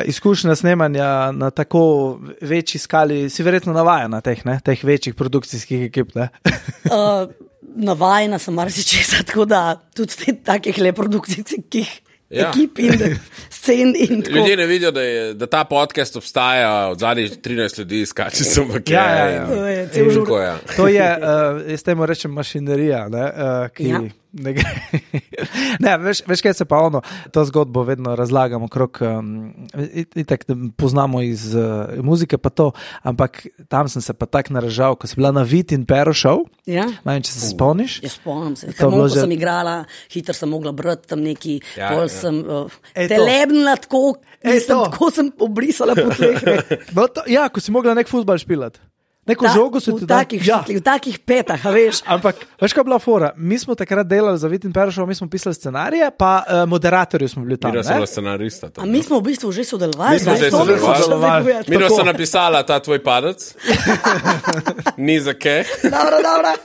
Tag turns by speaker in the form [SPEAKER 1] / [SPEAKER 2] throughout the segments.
[SPEAKER 1] izkušnja snemanja na tako večji skali, si verjetno navajena teh večjih produkcijskih ekip, ne?
[SPEAKER 2] Navajena sem marsičesa, tako da tudi takih le produkcijskih ekip in scen in tako.
[SPEAKER 3] Ljudje ne vidijo, da ta podcast obstaja od zadnjih 13 ljudi, skači sem v kje.
[SPEAKER 2] To je cel žur.
[SPEAKER 1] To je, jaz temu rečem mašinerija, ne, ki ne gre. Ne, veš kaj se pa to zgodbo vedno razlagamo okrog, itak poznamo iz muzike pa to, ampak tam sem se pa tak naražal, ko si bila na Vit in Pero show, vem, če se spomniš?
[SPEAKER 2] Ja, spomnim se, ko sem igrala, hitro sem mogla brati tam neki, pol sem telebnila tako sem obrisala po tleh.
[SPEAKER 1] Ja, ko si mogla nek futbal špilati. Neko žogo so ti
[SPEAKER 2] v takih petah, a veš.
[SPEAKER 1] Ampak, veš kaj bila fora? Mi smo takrat delali za Vit in Pero show, mi smo pisali scenarije, pa moderatorji smo bili tam.
[SPEAKER 3] Mi smo scenarista.
[SPEAKER 2] A mi smo v bistvu že sodelovali.
[SPEAKER 3] Mi smo napisala ta tvoj padec. Ni za kaj.
[SPEAKER 2] Dobro.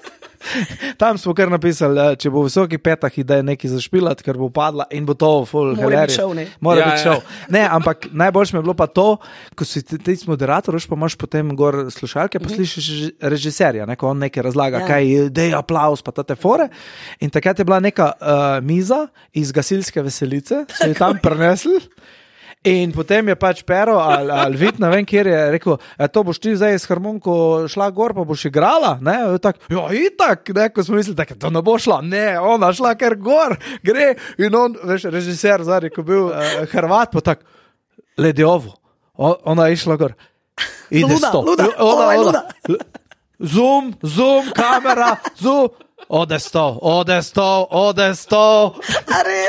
[SPEAKER 1] Tam smo kar napisali, če bo v visokih petah ideja nekaj zašpilati, ker bo padla in bo to full hilarije. Mora biti šov. Ne, ampak najboljše mi je bilo pa to, ko si ti moderator, pa imaš potem gor slušalke, pa slišiš režiserja, ko on nekaj razlaga, kaj dej aplauz, pa tate fore. In takrat je bila neka miza iz gasilske veselice, so jo tam prinesli. In potem je pač Pero ali Vit, ne vem, kjer je rekel, to boš ti zdaj s harmoniko šla gor, pa boš igrala, ne, tak, itak, ne, ko smo mislili, da to ne bo šla, ne, ona šla kar gor, gre, in on, veš, režiser zadnji, ko bil Hrvat, pa tak, lediovo, ona je išla gor, ide sto,
[SPEAKER 2] luda.
[SPEAKER 1] Zoom, kamera, zoom, Ode sto.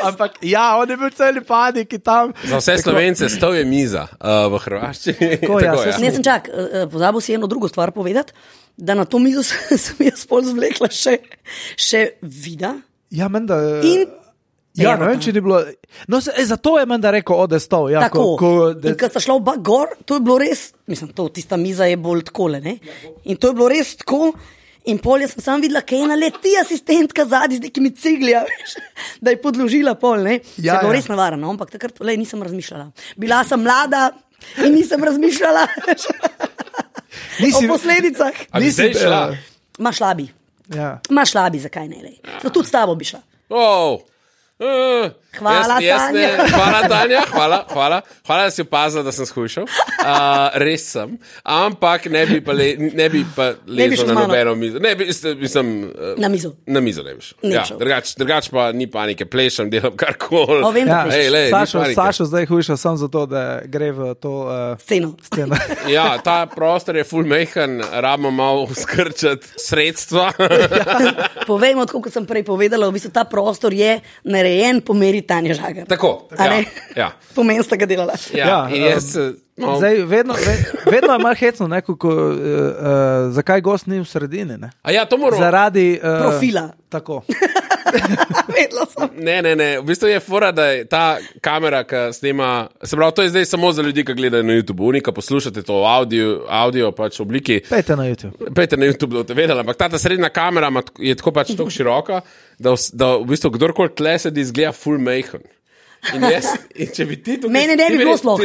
[SPEAKER 1] Ampak ja, on je bil celi paniki tam.
[SPEAKER 3] Za vse Slovence sto je miza v Hrvaščini.
[SPEAKER 2] Ne, sem čak, pozabil si eno drugo stvar povedati, da na to mizo sem jaz pol zvlekla še vida.
[SPEAKER 1] Ja, menda...
[SPEAKER 2] Ja,
[SPEAKER 1] ne vem, če ni bilo... No, zato je menda rekel ode sto. Ja,
[SPEAKER 2] tako, in ko sta šla oba gor, to je bilo res, mislim, tista miza je bolj takole, ne? In to je bilo res tako... In pol jaz sem sam videla, kaj je naleti asistentka zadnji z nekimi ciglja, da je podložila pol, ne? Se je bilo res navarano, ampak takrat nisem razmišljala. Bila sem mlada in nisem razmišljala o posledicah.
[SPEAKER 3] Nisi šla?
[SPEAKER 2] Ma šla bi. Ma šla bi, zakaj ne, lej. Tudi s tabo bi šla. Hvala, Tanja.
[SPEAKER 3] Hvala, da si opazila, da sem skušal. Res sem. Ampak ne bi pa lezel na nobeno mizo.
[SPEAKER 2] Na mizo.
[SPEAKER 3] Na mizo ne bi šel. Ja, drugač pa ni panike, plešem, delam karkoli.
[SPEAKER 1] Sašo zdaj hujša sam zato, da gre v to
[SPEAKER 2] sceno.
[SPEAKER 3] Ja, ta prostor je ful mejhan, rabimo malo skrčati sredstva.
[SPEAKER 2] Povejmo, tako kot sem prej povedala, v bistvu ta prostor je narejen po meri Tanja Žagar.
[SPEAKER 3] Tako, ja.
[SPEAKER 2] Pomen sta ga delala.
[SPEAKER 3] Ja, in jaz...
[SPEAKER 1] Zdaj, vedno je malo hecno, zakaj gost ni v sredini, ne?
[SPEAKER 3] A ja, to moramo...
[SPEAKER 1] Zaradi...
[SPEAKER 2] profila.
[SPEAKER 1] Tako.
[SPEAKER 2] Vedela sem.
[SPEAKER 3] Ne, v bistvu je fora, da je ta kamera, ki snema, se pravi, to je zdaj samo za ljudi, ki gledajo na YouTube, ki poslušate to audio pač v obliki.
[SPEAKER 1] Pejte na YouTube,
[SPEAKER 3] da boste vedeli, ampak ta srednja kamera je tako pač tako široka, da v bistvu kdorkoli tle sedi izgleda full mejhan. In če bi ti tukaj...
[SPEAKER 2] Mene ne bi bilo sploh.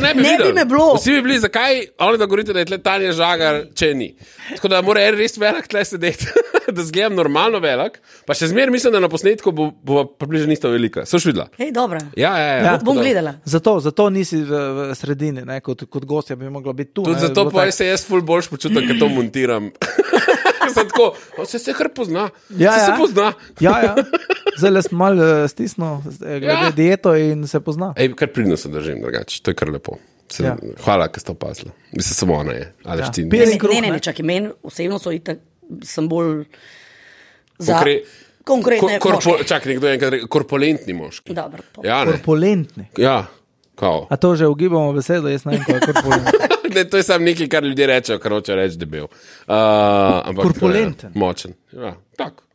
[SPEAKER 3] Ne
[SPEAKER 2] bi me bilo.
[SPEAKER 3] Vsi bi bili, zakaj oni da govorite, da je tle Tanja Žagar, če ni. Tako da mora res velik tle sedeti, da zgledam normalno velik, pa še zmer mislim, da na posnetku bo približno isto velika. Soš videla?
[SPEAKER 2] Hej, dobra.
[SPEAKER 3] Ja.
[SPEAKER 2] Bom gledala.
[SPEAKER 1] Zato nisi v sredini, ne, kot gostja bi mogla biti tu.
[SPEAKER 3] Tudi zato pa se jaz ful boljš počutim, ker to montiram. Tako, se kar pozna. Se pozna.
[SPEAKER 1] Ja. Zdaj sem malo stisnil glede dieto in se pozna.
[SPEAKER 3] Kar pridno se držim, drugače. To je kar lepo. Hvala, ker ste opazili. Mislim, samo ona je.
[SPEAKER 2] Ne, čakaj, meni osebno sem bolj za konkretne moške.
[SPEAKER 3] Čakaj, nekdo je enkrat rekel, korpulentni moški.
[SPEAKER 2] Dobro.
[SPEAKER 1] Korpulentni?
[SPEAKER 3] Ja. Kao.
[SPEAKER 1] A to že ugibamo besedo, jaz ne vem, kaj je korpulenten.
[SPEAKER 3] Ne, to je samo nekaj, kar ljudje rečejo, kar hoče reči debel.
[SPEAKER 1] Korpulenten.
[SPEAKER 3] Močen. Ja, tak.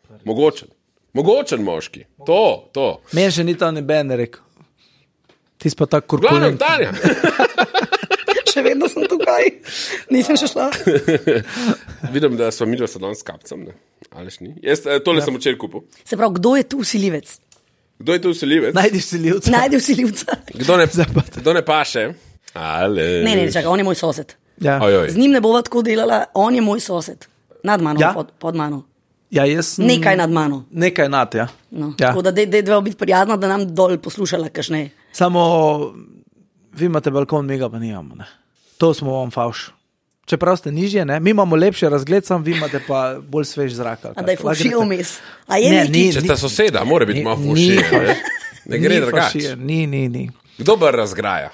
[SPEAKER 3] Mogočen moški. To.
[SPEAKER 1] Meni še ni to neben rekel. Ti si pa tak korpulenten.
[SPEAKER 3] Glavno, Tanja.
[SPEAKER 2] Še vedno sem tukaj. Nisem še šla.
[SPEAKER 3] Vidim, da smo mi dva danes s kapcem, ne? Ališ ni? Jaz tole sem včeraj kupil.
[SPEAKER 2] Se pravi, kdo je tu vsiljivec?
[SPEAKER 3] Kdo je tu vsiljivec?
[SPEAKER 1] Najdi vsiljivca.
[SPEAKER 2] Najdi vsiljivca.
[SPEAKER 3] Kdo ne paše?
[SPEAKER 2] Ne, čakaj, on je moj sosed.
[SPEAKER 1] Ja.
[SPEAKER 2] Z njim ne bova tako delala, on je moj sosed. Nad mano,
[SPEAKER 1] Ja?
[SPEAKER 2] pod mano.
[SPEAKER 1] Ja, jaz sem...
[SPEAKER 2] Nekaj nad mano.
[SPEAKER 1] Nekaj nad, ja.
[SPEAKER 2] No.
[SPEAKER 1] Ja.
[SPEAKER 2] Tako da dve biti prijazna, da nam dol poslušala kašneje.
[SPEAKER 1] Samo vi imate balkon, mi ga pa nimamo. Ne? To smo vam favš. Čeprav ste nižje, ne? Mi imamo lepši razgled, sam vi imate pa bolj svež zrak.
[SPEAKER 2] A da je fušijo vmes. A je
[SPEAKER 1] Ne,
[SPEAKER 2] neki?
[SPEAKER 1] ni.
[SPEAKER 3] Če sta soseda, mora biti malo fušija. Ne gre drugače.
[SPEAKER 1] Ni.
[SPEAKER 3] Kdo bar razgraja?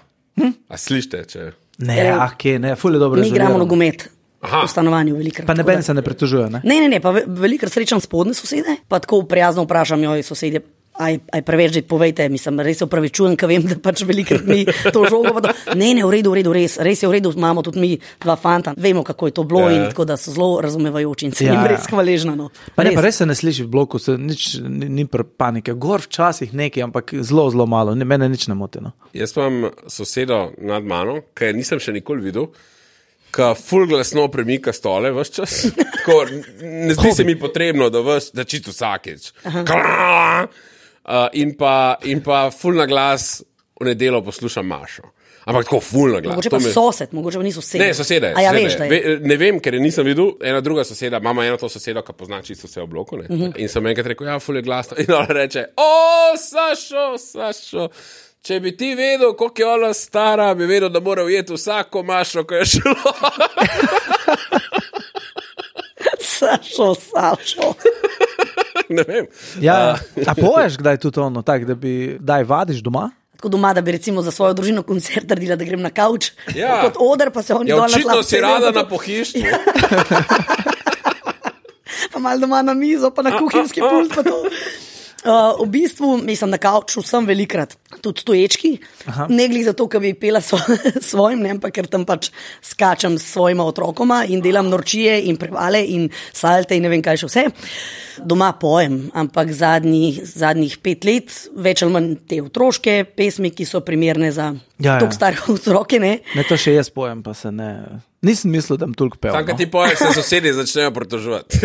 [SPEAKER 3] A slište, če...
[SPEAKER 1] Ne, ne, ful je dobro.
[SPEAKER 2] Mi igramo nogomet.
[SPEAKER 3] Aha.
[SPEAKER 2] V stanovanju velikrat.
[SPEAKER 1] Pa neben se ne pritožuje, ne?
[SPEAKER 2] Ne, pa velikrat srečam spodne sosede, pa tako prijazno vprašam, joj, sosedje, aj preveč, že povejte, mislim, res se upravičujem, ker vem, da pač velikrat mi to žogo, pa to, ne, v redu, res je v redu, imamo tudi mi dva fanta, vemo, kako je to bilo in tako, da so zelo razumevajoči in se jim res hvaležna, no.
[SPEAKER 1] Pa res se ne sliši v bloku, nič ni panike, gor včasih nekaj, ampak zelo malo, mene nič ne moti, no.
[SPEAKER 3] Jaz imam sosedo nad mano, ki nisem še nikoli videl, ki ful glasno premika stole vse čas. Tako, ne zdi se mi potrebno, da čisto vsakič. In pa ful na glas v nedeljo poslušam Mašo. Ampak tako ful na glas.
[SPEAKER 2] Mogoče pa sosed, mogoče pa ni sosed.
[SPEAKER 3] Ne, soseda je.
[SPEAKER 2] A ja, veš, da je.
[SPEAKER 3] Ne vem, ker je nisem videl. Ena druga soseda, mama eno to sosedo, ki pozna čisto vse v bloku. In sem enkrat rekel, ja, ful je glasno. In ona reče, Sašo. Če bi ti vedel, koliko je ona stara, bi vedel, da mora ujeti vsako Mašo, ko je šlo.
[SPEAKER 2] Sašo.
[SPEAKER 3] Ne vem.
[SPEAKER 1] Ja, a poješ kdaj tudi ono, tak, da bi daj vadiš doma?
[SPEAKER 2] Tako doma, da bi recimo za svojo družino koncert naredila, da grem na kavč,
[SPEAKER 3] Ja.
[SPEAKER 2] kot oder, pa se oni dol na tlap.
[SPEAKER 3] Očitno si rada na pohištvu.
[SPEAKER 2] Pa malo doma na mizo, pa na kuhinjski pult, pa to. V bistvu, mislim, na kavču sem velikrat, tudi stoječki, ne glih zato, ker bi pela svojim, ne, ampak ker tam pač skačem s svojima otrokoma in delam norčije in prevale in salte in ne vem kaj še vse. Doma pojem, ampak zadnjih 5 let, več ali manj te otroške pesmi, ki so primerne za toliko stare otroke, ne.
[SPEAKER 1] Ne, to še jaz pojem, pa se ne... Nisem mislil, da bom toliko pel.
[SPEAKER 3] Sam, kad ti poješ, se sosedi začnejo pritoževati.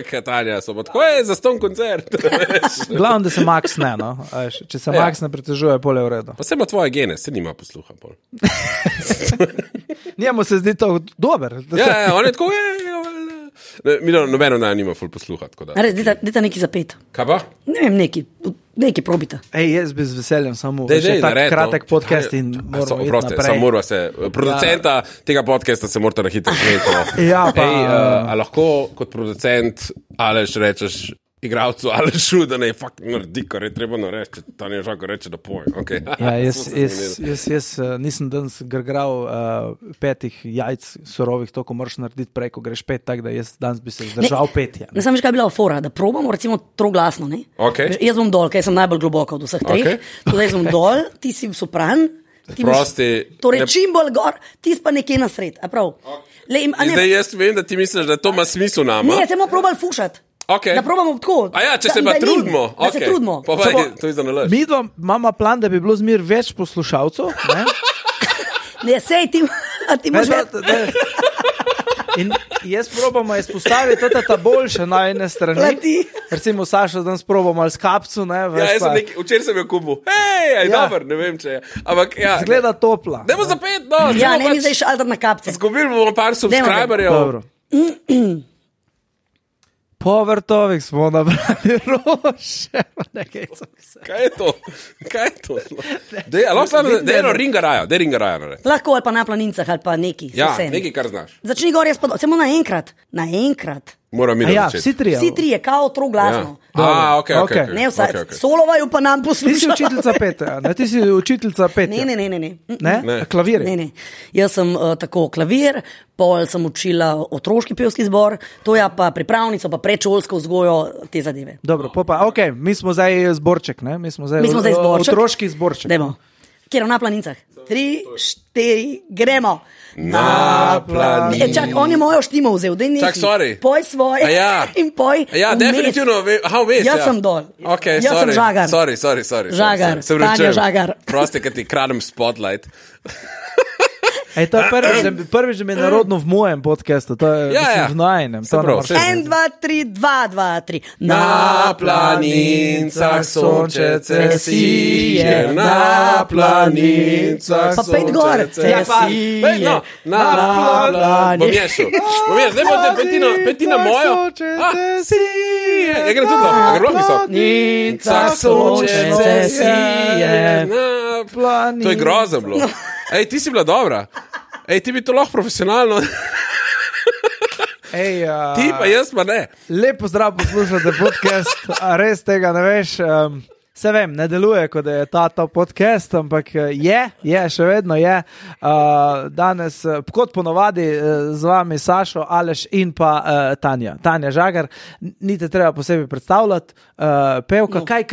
[SPEAKER 3] Katanja, so pa tako, zaston koncert.
[SPEAKER 1] Glavno, da se Max ne, no. Če se Max ne pritožuje, pol je v redu.
[SPEAKER 3] Pa se ima tvoje gene, se nima posluha.
[SPEAKER 1] Njemu se zdi to dober.
[SPEAKER 3] Ja, on je tako, nobeno nima ful posluha.
[SPEAKER 2] Dajta neki zapet.
[SPEAKER 3] Kaj pa?
[SPEAKER 2] Ne vem, neki probita.
[SPEAKER 1] Jaz bi z veseljem samo še tak kratek podcast in moramo iti naprej.
[SPEAKER 3] Samo moramo se, producenta tega podcasta se morate na hitro žeti.
[SPEAKER 1] Ja, pa...
[SPEAKER 3] a lahko kot producent Aleš rečeš igralcu Alešu, da ne fakt naredi, kar je treba nareči, Tanja Žako reče, da poje. Okay.
[SPEAKER 1] Ja, jaz nisem danes grgral 5 jajc surovih, to, ko moraš narediti prej, ko greš 5, tako da jaz danes bi se zdržal 5.
[SPEAKER 2] Ne sam veš, kaj je bila fora, da probamo recimo troglasno, ne?
[SPEAKER 3] Okay.
[SPEAKER 2] Jaz bom dol, kaj sem najbolj globoko od vseh 3, tudi jaz bom dol, ti si sopran, ti torej čim bolj gor, ti pa nekje na sred, a prav?
[SPEAKER 3] Zdaj jaz vem, da ti misliš, da to ima smisel nama.
[SPEAKER 2] Ne, se bomo probali fušati.
[SPEAKER 3] Okay.
[SPEAKER 2] Da probamo tako.
[SPEAKER 3] A ja, če se pa trudimo.
[SPEAKER 2] Da se trudimo.
[SPEAKER 3] Pa to je za nalaž.
[SPEAKER 1] Mi dva imamo plan, da bi bilo zmer več poslušalcev. Ne,
[SPEAKER 2] ne sej ti moš več.
[SPEAKER 1] In jaz probamo izpostaviti ta boljše na ene strani. Recimo Saša danes probamo ali s kapcu. Ne,
[SPEAKER 3] včeraj sem jo kubil. Dober, ne vem, če je. Ampak ja.
[SPEAKER 1] Zgleda topla.
[SPEAKER 3] Dajmo za 5, no.
[SPEAKER 2] Ja, ne mi zdaj šalter na kapce.
[SPEAKER 3] Zgubili bomo par subscriberjev.
[SPEAKER 1] Dobro. Po vrtovih smo nabrali roše.
[SPEAKER 3] Kaj je to? Dej eno ringarajo.
[SPEAKER 2] Lahko ali pa na planincah ali pa neki.
[SPEAKER 3] Ja, neki kar znaš.
[SPEAKER 2] Začni gor, jaz pa samo naenkrat.
[SPEAKER 3] Moram mi
[SPEAKER 1] ja, vsi trije,
[SPEAKER 2] kao troglasno.
[SPEAKER 3] Ja. Okay.
[SPEAKER 2] Ne vsaj, solovaju pa nam poslušajo.
[SPEAKER 1] Ti si učiteljica petja, ne? Ti si učiteljica petja.
[SPEAKER 2] Ne.
[SPEAKER 1] Klavir?
[SPEAKER 2] Ne. Jaz sem tako klavir, pol sem učila otroški pevski zbor, to je pa pripravnico, pa predšolsko vzgojo, te zadeve.
[SPEAKER 1] Dobro, mi smo zdaj zborček, ne? Mi smo zdaj
[SPEAKER 2] zborček.
[SPEAKER 1] Otroški zborček.
[SPEAKER 2] Dajmo. Kjer na planincah? 3, 4, gremo.
[SPEAKER 3] Na planincah.
[SPEAKER 2] Čak, on je mojo štimo vzel, daj neki.
[SPEAKER 3] Čak, sorry.
[SPEAKER 2] Poj svoje in poj
[SPEAKER 3] ja, definitivno, vmes.
[SPEAKER 2] Jaz sem dol.
[SPEAKER 3] Okay,
[SPEAKER 2] jaz sem Žagar.
[SPEAKER 3] Sorry.
[SPEAKER 2] Žagar, Tanja Žagar.
[SPEAKER 3] Prosti, kad ti kradem spotlight.
[SPEAKER 1] To je prvič, da mi je narodno v mojem podcastu, to je v najnem.
[SPEAKER 2] 1, 2, 3, 2, 2, 3.
[SPEAKER 3] Na planincah sončece sije, na planincah sončece sije. Na planincah. Bom ješel. Zdaj bote petina mojo. Sije. Ja, gre tudi lahko. Gre lahko visok. Planincah sončece sije. To je grozno bilo. Ej, ti si bila dobra. Ej, ti bi to lahko profesionalno. Ti pa jaz pa ne.
[SPEAKER 1] Lepo zdrav poslušate podcast, a res tega ne veš. Se vem, ne deluje, kot da je ta podcast, ampak je, še vedno je. Danes, kot ponovadi, z vami Sašo, Aleš in pa Tanja. Tanja Žagar, ni te treba posebej predstavljati. Pevka, kaj,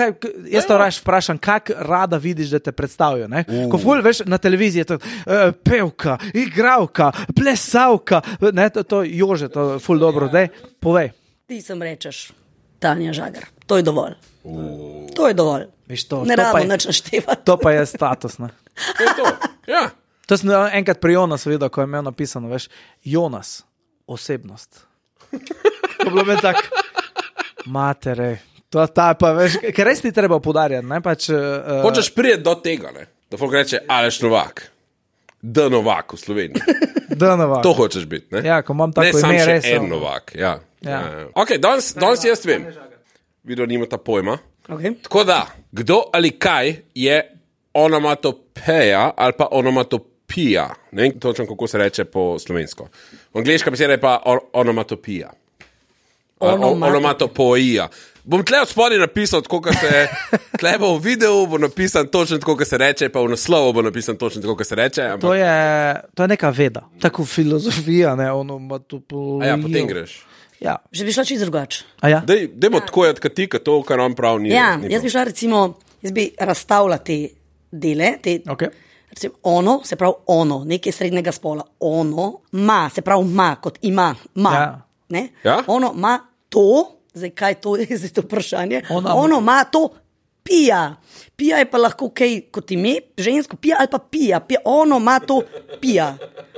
[SPEAKER 1] jaz to raje vprašam, kak rada vidiš, da te predstavijo, ne? Ko ful, veš, na televiziji je to pevka, igravka, plesavka, ne, to Jože, to ful dobro, dej, povej.
[SPEAKER 2] Ti sem rečeš, Tanja Žagar, to je dovolj. To je dovolj.
[SPEAKER 1] Viš to,
[SPEAKER 2] ne rado nič naštevati.
[SPEAKER 1] To pa je status, ne?
[SPEAKER 3] To je to, ja.
[SPEAKER 1] To sem enkrat pri Jonasu videl, ko je imel napisano, veš, Jonas, osebnost. To bilo meni tak, matere, to ta pa, veš, ker res ni treba podarjati, ne, pač...
[SPEAKER 3] Hočeš prijeti do tega, ne, da folk reče Aleš Novak, D. Novak v Sloveniji.
[SPEAKER 1] D. Novak.
[SPEAKER 3] To hočeš biti, ne?
[SPEAKER 1] Ja, ko imam tako ime, res.
[SPEAKER 3] Ne, sam še en Novak, ja. Ok, danes jaz vem. Video nimata pojma.
[SPEAKER 2] Okay.
[SPEAKER 3] Tako da, kdo ali kaj je onomatopeja ali pa onomatopija. Ne vem točno, kako se reče po slovensko. Angliška beseda je pa onomatopija. Onomatopoija. Bom tle od spodaj napisal, tako kot se tle bo v videu, bo napisan točno tako, kot se reče, pa v naslovu bo napisan točno tako, kot se reče. Ampak...
[SPEAKER 1] To je neka veda. Tako filozofija, ne, onomatopoija.
[SPEAKER 3] A ja, potem greš.
[SPEAKER 2] Ja. Že bi šla čisto drugače.
[SPEAKER 1] Ja?
[SPEAKER 3] Dajmo tako jati, kot to, kar nam prav ni.
[SPEAKER 2] Ja, jaz bi šla recimo, jaz bi razstavila te dele,
[SPEAKER 1] okay.
[SPEAKER 2] Recimo ono, se pravi ono, nekaj srednjega spola, ono, ma, se pravi ma, kot ima, ma, ne?
[SPEAKER 3] Ja?
[SPEAKER 2] Ono, ma, to, zdaj kaj to je, zdaj to vprašanje, ono, ma, to, pija. Pija je pa lahko kaj kot ime, žensko pija ali pa pija, ono, ma, to, pija.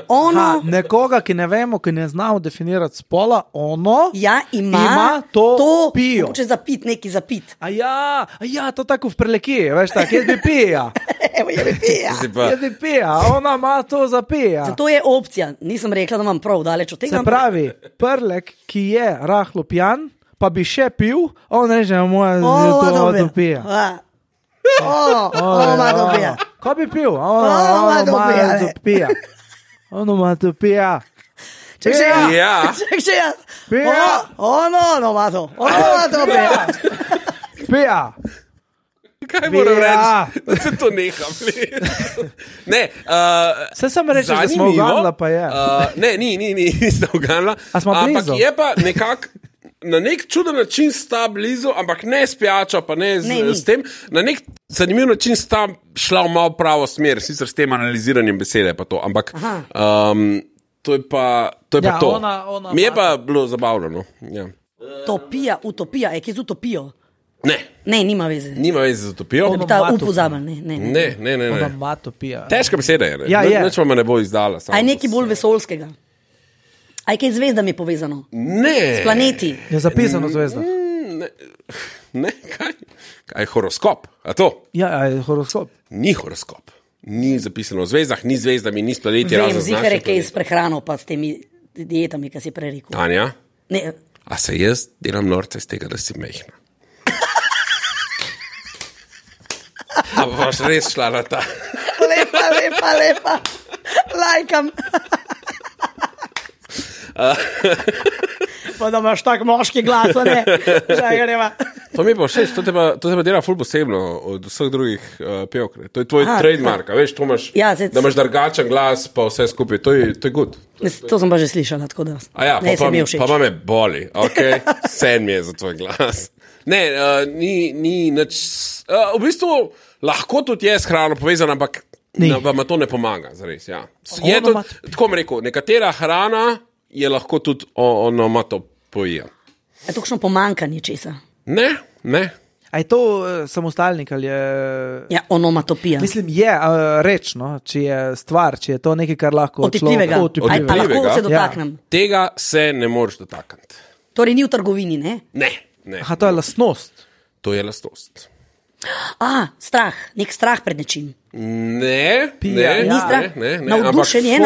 [SPEAKER 2] Ono,
[SPEAKER 1] nekoga, ki ne vemo, ki ne znamo definirati spola, ono
[SPEAKER 2] ja, ima
[SPEAKER 1] to pijo.
[SPEAKER 2] Če zapit, neki zapit.
[SPEAKER 1] A ja, to tako v prelekiji, veš tako, jaz bi pija.
[SPEAKER 2] Evo, jaz
[SPEAKER 1] bi pija, ona ima to za pija.
[SPEAKER 2] To je opcija, nisem rekla, da imam prav daleč od tega.
[SPEAKER 1] Se pravi, prlek, ki je rahlo pijan, pa bi še pil, on reče, moja to pija.
[SPEAKER 2] Ono ima to pija.
[SPEAKER 1] Ko bi pil? Ono ima to pija. Onomatopija.
[SPEAKER 2] Ček še ja.
[SPEAKER 1] Pija.
[SPEAKER 2] Ono ima to. Ono ima to pija.
[SPEAKER 1] Pija.
[SPEAKER 3] Kaj moram reči? Da se to neham. Ne.
[SPEAKER 1] Se sam rečeš, da smo uganila, pa je.
[SPEAKER 3] Ne, niste uganila.
[SPEAKER 1] A smo blizu?
[SPEAKER 3] Ampak je pa nekako na nek čuden način sta blizu, ampak ne s pijačo, pa ne s tem. Na nek zanimiv način sta šla v malo pravo smer, sicer s tem analiziranjem besede pa to, ampak to je pa to. Ona mi je pa bilo zabavno. No? Ja.
[SPEAKER 2] Utopija, je kje z utopijo?
[SPEAKER 3] Ne,
[SPEAKER 2] nima veze.
[SPEAKER 3] Nima veze z utopijo.
[SPEAKER 2] Da bi ta upozabil, ne.
[SPEAKER 1] Onomatopija.
[SPEAKER 3] Težka beseda je, ne?
[SPEAKER 1] Ja, je.
[SPEAKER 3] Nič vam ne bo izdala.
[SPEAKER 2] A je nekaj bolj vesoljskega? A je kaj z zvezdami povezano?
[SPEAKER 3] Ne.
[SPEAKER 2] S planeti?
[SPEAKER 1] Je zapisano zvezda.
[SPEAKER 3] Ne, kaj je horoskop? A to?
[SPEAKER 1] Ja, je horoskop.
[SPEAKER 3] Ni horoskop. Ni zapisano v zvezdah, ni zvezdami, ni s planeti.
[SPEAKER 2] Vem, zihar je kaj s prehrano, pa s temi dietami, ki si prej rekel.
[SPEAKER 3] Tanja?
[SPEAKER 2] Ne.
[SPEAKER 3] A se jaz delam norce z tega, da si mehna? A boš res šla na ta?
[SPEAKER 2] Lepa. Lajkam. Pa da imaš tak moški glas, ne? Žagareva.
[SPEAKER 3] To mi pa všeč, to te pa dela ful posebno od vseh drugih pevk. To je tvoj trademark, veš, to imaš, da imaš drugačen glas, pa vse skupaj, to je good.
[SPEAKER 2] To sem pa že slišala, tako da.
[SPEAKER 3] A ja, pa me boli, ok, sen mi je za tvoj glas. Ne, ni nič, v bistvu lahko tudi je s hrano povezano, ampak vam to ne pomaga, zares, ja. Je to, tako mi rekel, nekatera hrana je lahko tudi onomatopoija.
[SPEAKER 2] Je to kakšno pomankanje česa?
[SPEAKER 3] Ne.
[SPEAKER 1] A je to samostalnik ali je...
[SPEAKER 2] Ja, onomatopija.
[SPEAKER 1] Mislim, je reč, no? Če je stvar, če je to nekaj, kar lahko...
[SPEAKER 2] Otipljivega. A lahko se dotaknem?
[SPEAKER 3] Ja. Tega se ne moreš dotakniti.
[SPEAKER 2] Torej ni v trgovini, ne?
[SPEAKER 3] Ne.
[SPEAKER 1] Aha, to je lastnost.
[SPEAKER 3] To je lastnost.
[SPEAKER 2] Strah. Nek strah pred nečim.
[SPEAKER 3] Ne.
[SPEAKER 2] Ni strah. Navdušenje.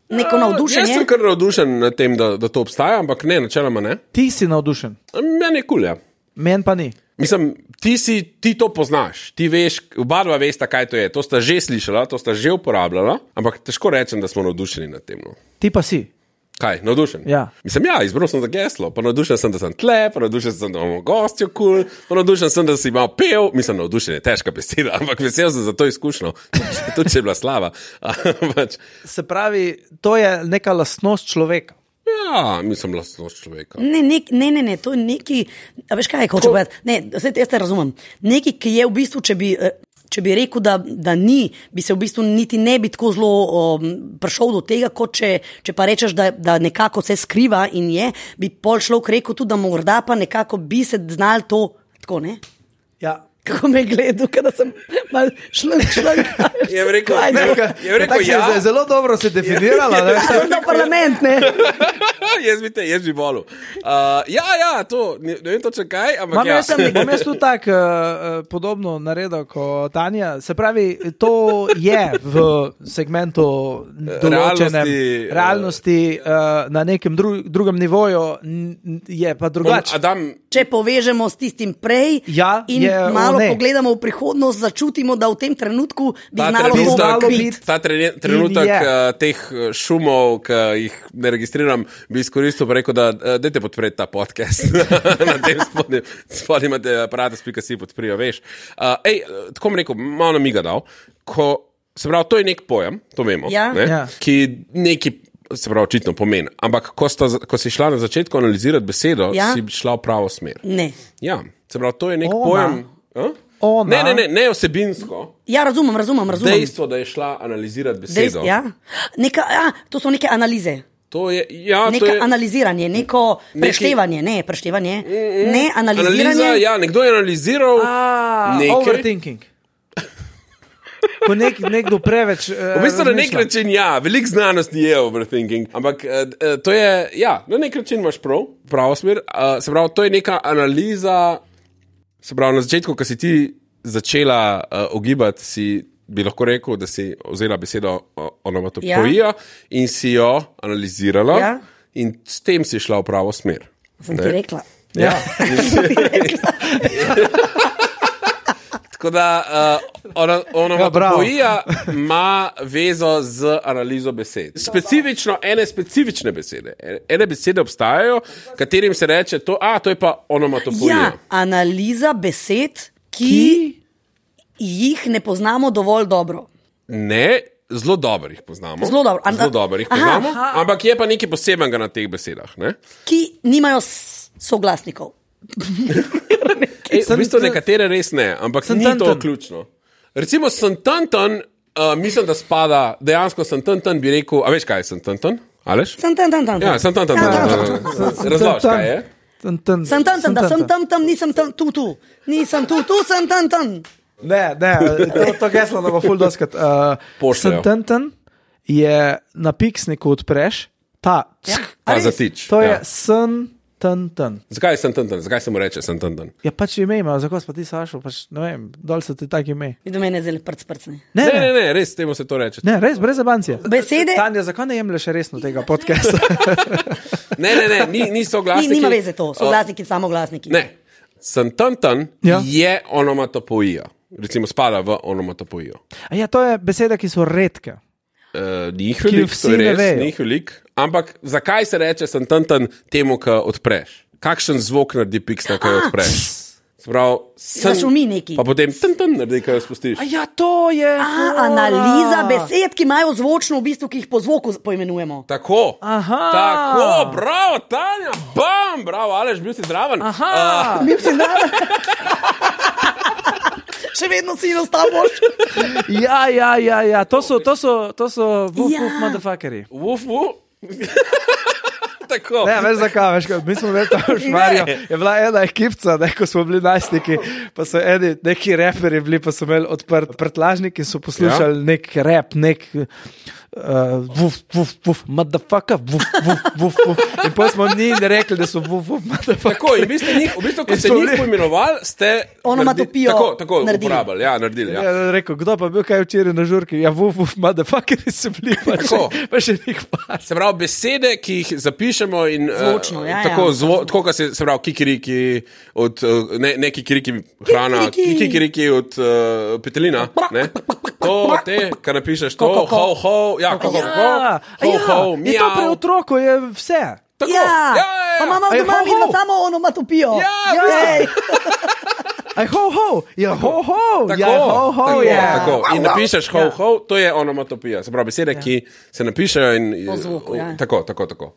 [SPEAKER 2] Neko navdušenje.
[SPEAKER 3] Jaz sem kar navdušen nad tem, da to obstaja, ampak ne, načeloma ne.
[SPEAKER 1] Ti si navdušen?
[SPEAKER 3] Meni je kul, ja.
[SPEAKER 1] Meni pa ni.
[SPEAKER 3] Mislim, ti to poznaš, ti veš, oba dva vesta, kaj to je. To sta že slišala, to sta že uporabljala, ampak težko rečem, da smo navdušeni nad tem. No.
[SPEAKER 1] Ti pa si.
[SPEAKER 3] Kaj, navdušen?
[SPEAKER 1] Ja.
[SPEAKER 3] Mislim, izbral sem za geslo, pa navdušen sem, da sem tle, pa navdušen sem, da imamo gostjo kul, pa navdušen sem, da si imel pev. Mislim, navdušen je težka beseda, ampak vesel sem za to izkušnjo, tudi če je bila slava.
[SPEAKER 1] Se pravi, to je neka lastnost človeka.
[SPEAKER 3] Ja, mislim, lastnost človeka.
[SPEAKER 2] Ne, to je neki, a veš kaj, hoče povedati, ne, jaz te razumem, neki, ki je v bistvu, če bi rekel, da ni, bi se v bistvu niti ne bi tako zelo prišel do tega, kot če pa rečeš, da nekako se skriva in je, bi pol človek rekel tudi, da morda pa nekako bi se znal to, tako ne?
[SPEAKER 1] Ja.
[SPEAKER 2] Kako me je gledal, kada sem mal šlank.
[SPEAKER 3] Je rekel, ja.
[SPEAKER 1] Zelo dobro se definirala.
[SPEAKER 2] Sem na parlament, ne?
[SPEAKER 3] Jaz bi volil. To, ne vem točno kaj, ampak
[SPEAKER 1] Bom jaz tudi tak podobno naredil kot Tanja. Se pravi, to je v segmentu določenem realnosti na nekem drugem nivoju, je pa drugače.
[SPEAKER 2] Če povežemo s tistim prej in malo pogledamo v prihodnost, začutimo, da v tem trenutku bi znalo biti.
[SPEAKER 3] Ta trenutek teh šumov, ki jih ne registriram, bi izkoristil pa rekel, da dajte podpreti ta podcast. Na tem spodnji imate aparatus.si podprijo, veš. Tako mi rekel, malo namiga dal, se pravi, to je nek pojem, to vemo, ki neki se pravi, očitno pomeni. Ampak, ko si šla na začetku analizirati besedo, si šla v pravo smer.
[SPEAKER 2] Ne.
[SPEAKER 3] Ja, se pravi, to je nek pojem. Ne osebinsko.
[SPEAKER 2] Ja, razumem.
[SPEAKER 3] Dejstvo, da je šla analizirati besedo.
[SPEAKER 2] To so neke analize.
[SPEAKER 3] To je,
[SPEAKER 2] analiziranje, neko preštevanje, ne analiziranje.
[SPEAKER 3] Analiza, nekdo je analiziral nekaj.
[SPEAKER 1] Overthinking. Ko nekdo preveč...
[SPEAKER 3] v bistvu na nek način, veliko znanosti je overthinking, ampak to je, na nek način imaš pravo smer, se pravi, to je neka analiza, se pravi, na začetku, ko si ti začela ogibati, bi lahko rekel, da si vzela besedo onomatopija in si jo analizirala in s tem si šla v pravo smer.
[SPEAKER 2] Sem ti rekla.
[SPEAKER 1] Ja.
[SPEAKER 3] Tako da onomatopija ima vezo z analizo besed. Specifično, specifične besede. Ene besede obstajajo, katerim se reče, to je pa onomatopija.
[SPEAKER 2] Ja, analiza besed, ki jih ne poznamo dovolj dobro.
[SPEAKER 3] Ne, zelo dobro jih poznamo.
[SPEAKER 2] Zelo
[SPEAKER 3] dobro jih poznamo, ampak je pa nekaj posebenega na teh besedah. Ne?
[SPEAKER 2] Ki nimajo soglasnikov.
[SPEAKER 3] V bistvu nekatere res ne, ampak ni to ključno. Recimo santantan, mislim, da spada, dejansko santantan bi rekel, a veš kaj je santantan? Aleš?
[SPEAKER 2] Santantan.
[SPEAKER 3] Ja, santantan. Razlož, kaj je?
[SPEAKER 2] Santantan, da sem tam, nisem tam, tu. Nisem tu, sem tam.
[SPEAKER 1] Ne, to geslo da bo ful doskrat. Santantan je na piksniku odpreš,
[SPEAKER 3] zatič.
[SPEAKER 1] To je santantan.
[SPEAKER 3] Zakaj je santantan? Zakaj se mu reče santantan?
[SPEAKER 1] Ja, pač ime ima, zakaj pa ti Sašo, pač ne vem, dol so ti tak ime.
[SPEAKER 2] Vidim mene zelo prcne.
[SPEAKER 3] Ne, res, temu se to reče.
[SPEAKER 1] Ne, res, brez zabancije.
[SPEAKER 2] Besede?
[SPEAKER 1] Tanja, zakaj ne jemlješ resno tega podcasta?
[SPEAKER 3] Ne, ni soglasniki.
[SPEAKER 2] Nima veze to, soglasniki, samoglasniki.
[SPEAKER 3] Ne, santantan je onomatopija. Recimo spada v onomatopojijo.
[SPEAKER 1] Ja, to je besede, ki so redke.
[SPEAKER 3] Njih velik, to je res, njih velik. Ampak zakaj se reče santantan temu, ki odpreš? Kakšen zvok naredi piksna, ki jo odpreš?
[SPEAKER 2] Zašumi neki.
[SPEAKER 3] Pa potem tantan naredi, ki jo spustiš.
[SPEAKER 1] Ja, to je...
[SPEAKER 2] Analiza besed, ki imajo zvočno v bistvu, ki jih po zvoku poimenujemo.
[SPEAKER 3] Tako, bravo, Tanja, bravo, Aleš, bil si zdraven.
[SPEAKER 2] Bil si zdraven. Še vedno si ostal boš.
[SPEAKER 1] Ja, to so woof motherfuckeri.
[SPEAKER 3] Woof. tako.
[SPEAKER 1] Ne, veš zakaj, mi smo imeli tam v Šmarju, je bila ena ekipca, ko smo bili najstniki, pa so neki reperi bili, pa so imeli odprt prtlažnik in so poslušali nek rap, nek vuf, vuf, vuf, motherfucker, vuf, vuf, vuf, vuf. In potem smo njim rekli, da so vuf, vuf, motherfucker.
[SPEAKER 3] Tako, in v bistvu, ko ste njih poimenovali, ste
[SPEAKER 2] onomatopijo
[SPEAKER 3] uporabili, naredili.
[SPEAKER 1] Ja, rekel, kdo pa bil kaj včeraj na žurki? Ja, vuf, vuf, motherfucker so bili, pa še nek par.
[SPEAKER 3] Se pravi, besede, ki jih zapišemo in
[SPEAKER 2] zvočno,
[SPEAKER 3] tako, kot se pravi, kikiriki od, ne kikiriki hrana, kikiriki od petelina, ne? To, kar napišeš, to, ho,
[SPEAKER 1] in to pri otroku je vse.
[SPEAKER 3] Tako.
[SPEAKER 2] Pa imamo doma vidno samo onomatopijo.
[SPEAKER 3] Tako. In napišeš ho, to je onomatopija. Se pravi, besede, ki se napišejo in
[SPEAKER 2] po zvuku,
[SPEAKER 3] tako.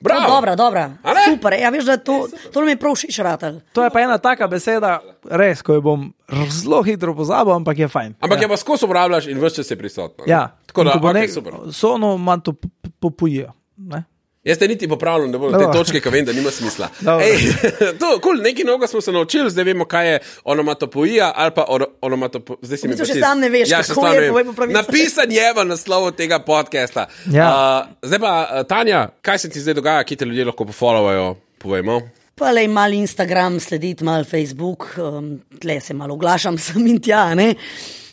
[SPEAKER 3] Bravo.
[SPEAKER 2] Dobra. Super. Ja, veš, da to nam je prav všeč ratal.
[SPEAKER 1] To je pa ena taka beseda, res, ko jo bom zelo hitro pozabil, ampak je fajn.
[SPEAKER 3] Ampak je pa skozi uporabljaš in vse čas je prisotno.
[SPEAKER 1] Ja.
[SPEAKER 3] Tako da, super.
[SPEAKER 1] So onomatopojijo, ne?
[SPEAKER 3] Jaz te niti popravljam, da bodo te točke, ki vem, da nima smisla. Nekaj novega smo se naučili, zdaj vemo, kaj je onomatopojija ali pa onomatopojija. Zdaj si mi
[SPEAKER 2] še sam ne veš, kako je povej po pravici.
[SPEAKER 3] Napisan je v naslovu tega podcasta. Zdaj pa, Tanja, kaj se ti zdaj dogaja, ki te ljudje lahko pofollowajo, povejmo?
[SPEAKER 2] Pa lej mal Instagram slediti, mal Facebook, tle se malo oglašam sem in tja, ne?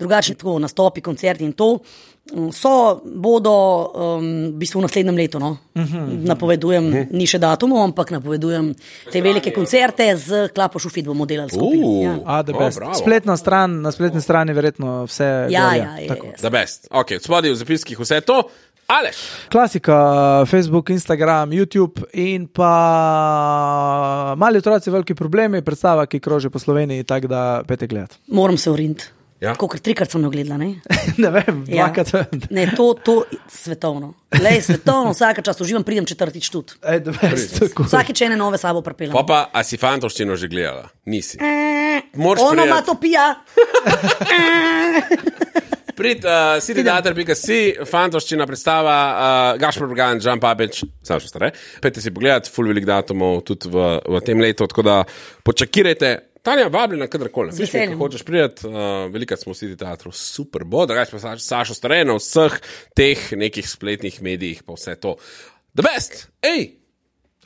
[SPEAKER 2] Drugačne tako nastopi, koncerti in to. Bodo v bistvu v naslednjem letu, no? Napovedujem, ni še datumov, ampak napovedujem te velike koncerte z Klapo Šufit bomo delali skupaj.
[SPEAKER 1] Spletna stran, na spletni strani verjetno vse.
[SPEAKER 2] Ja.
[SPEAKER 3] The best. Ok, spodaj v zapiskih vse to. Aleš.
[SPEAKER 1] Klasika, Facebook, Instagram, YouTube in pa Mali otroci, veliki problemi, predstava, ki kroži po Sloveniji, tako da pete gledati.
[SPEAKER 2] Moram se uriniti.
[SPEAKER 3] Ja.
[SPEAKER 2] Kolikor 3-krat sem jo gledala, ne?
[SPEAKER 1] Ne vem, 2-krat.
[SPEAKER 2] Ne, to svetovno. Lej, svetovno, vsaka čast uživam, pridem 4. tudi. Vsakič ene nove sabo prepeljem.
[SPEAKER 3] Pa, a si fantovščino že gledala? Nisi.
[SPEAKER 2] Onomatopija.
[SPEAKER 3] Citydater.si, fantovščina predstava, Gašper Bergan, Žan Papič, sam še stare. Pejte si pogledati, ful velik datumov tudi v tem letu, tako da počakirajte. Tanja, vabljena kadarkoli. Če hočeš priti, velikrat smo v City Teatru, super bo, da gaš pa Sašo Stare na vseh teh nekih spletnih medijih, pa vse to. The best! Ej!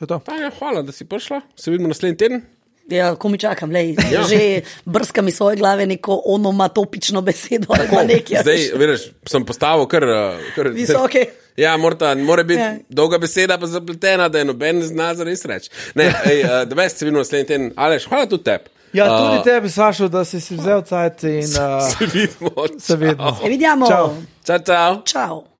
[SPEAKER 3] Tanja, hvala, da si prišla. Se vidimo naslednji teden.
[SPEAKER 2] Ja, ko mi čakam, že brskam iz svoje glave neko onomatopično besedo.
[SPEAKER 3] Zdaj, vidiš, sem postavil kar
[SPEAKER 2] visoke.
[SPEAKER 3] Ja, mora biti dolga beseda pa zapletena, da je noben ne zna zares reči. The best, se vidimo naslednji teden. Aleš, hvala tudi tebi.
[SPEAKER 1] Ja, tudi tebi, Sašo, da si vzel cajt in
[SPEAKER 3] se vidimo.
[SPEAKER 2] Se vidimo.
[SPEAKER 3] Čau.
[SPEAKER 2] Čau.